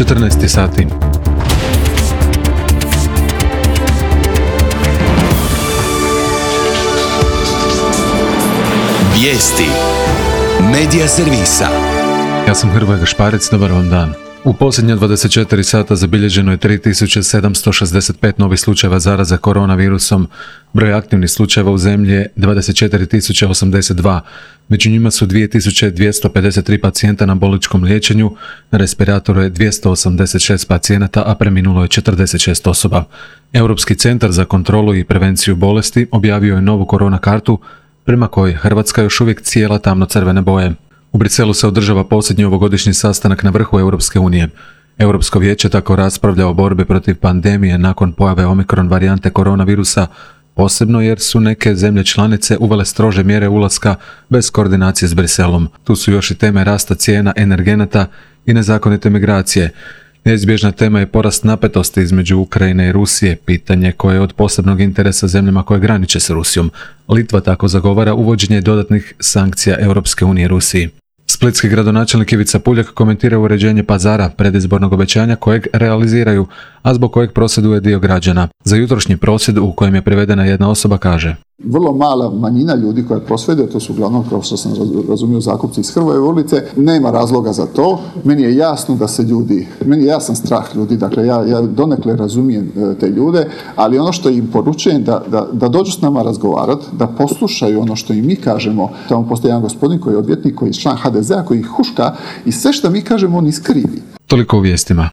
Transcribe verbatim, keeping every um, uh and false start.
četrnaest sati. Vijesti Medija servisa. Ja sam Hrvoje Gašparec, dobar vam dan. U posljednja dvadeset četiri sata zabilježeno je tri tisuće sedamsto šezdeset pet novih slučajeva zaraze koronavirusom. Broj aktivnih slučajeva u zemlji je dvadeset četiri tisuće osamdeset dva. Među njima su dvije tisuće dvjesto pedeset tri pacijenta na bolničkom liječenju, na respiratoru je dvjesto osamdeset šest pacijenata, a preminulo je četrdeset šest osoba. Europski centar za kontrolu i prevenciju bolesti objavio je novu korona kartu, prema kojoj Hrvatska još uvijek cijela tamno-crvene boje. U Briselu se održava posljednji ovogodišnji sastanak na vrhu Europske unije. Europsko vijeće tako raspravlja o borbi protiv pandemije nakon pojave omikron varijante koronavirusa, posebno jer su neke zemlje članice uvele strože mjere ulaska bez koordinacije s Briselom. Tu su još i teme rasta cijena energenata i nezakonite migracije. Neizbježna tema je porast napetosti između Ukrajine i Rusije, pitanje koje je od posebnog interesa zemljama koje graniče s Rusijom. Litva tako zagovara uvođenje dodatnih sankcija Europske unije Rusiji. Splitski gradonačelnik Ivica Puljak komentira uređenje pazara, predizbornog obećanja kojeg realiziraju, a zbog kojeg prosvjeduje dio građana. Za jutrošnji prosvjed u kojem je privedena jedna osoba kaže: vrlo mala manjina ljudi koja prosvjeduje, to su uglavnom, kao što sam razumio, zakupci iz Hrvoje ulice, nema razloga za to. Meni je jasno da se ljudi, meni je jasan strah ljudi, dakle ja, ja donekle razumijem te ljude, ali ono što im poručujem da, da, da dođu s nama razgovarati, da poslušaju ono što im mi kažemo. Tamo postoji jedan gospodin koji je odvjetnik, koji je član ha de zea, koji ih huška i sve što mi kažemo on iskrivi. Toliko u vijestima.